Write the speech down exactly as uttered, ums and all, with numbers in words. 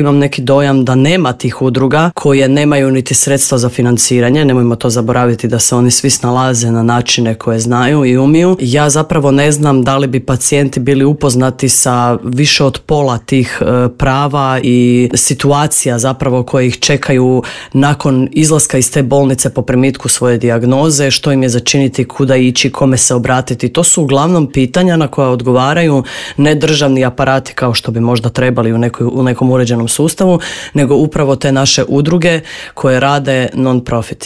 Imam neki dojam da nema tih udruga koje nemaju niti sredstva za financiranje, nemojmo to zaboraviti da se oni svi snalaze na načine koje znaju i umiju. Ja zapravo ne znam da li bi pacijenti bili upoznati sa više od pola tih e, prava i situacija zapravo koje ih čekaju nakon izlaska iz te bolnice po primitku svoje dijagnoze, što im je začiniti, kuda ići, kome se obratiti. To su uglavnom pitanja na koja odgovaraju ne državni aparati kao što bi možda trebali u, nekoj, u nekom uređenom sustavu, nego upravo te naše udruge koje rade non-profit.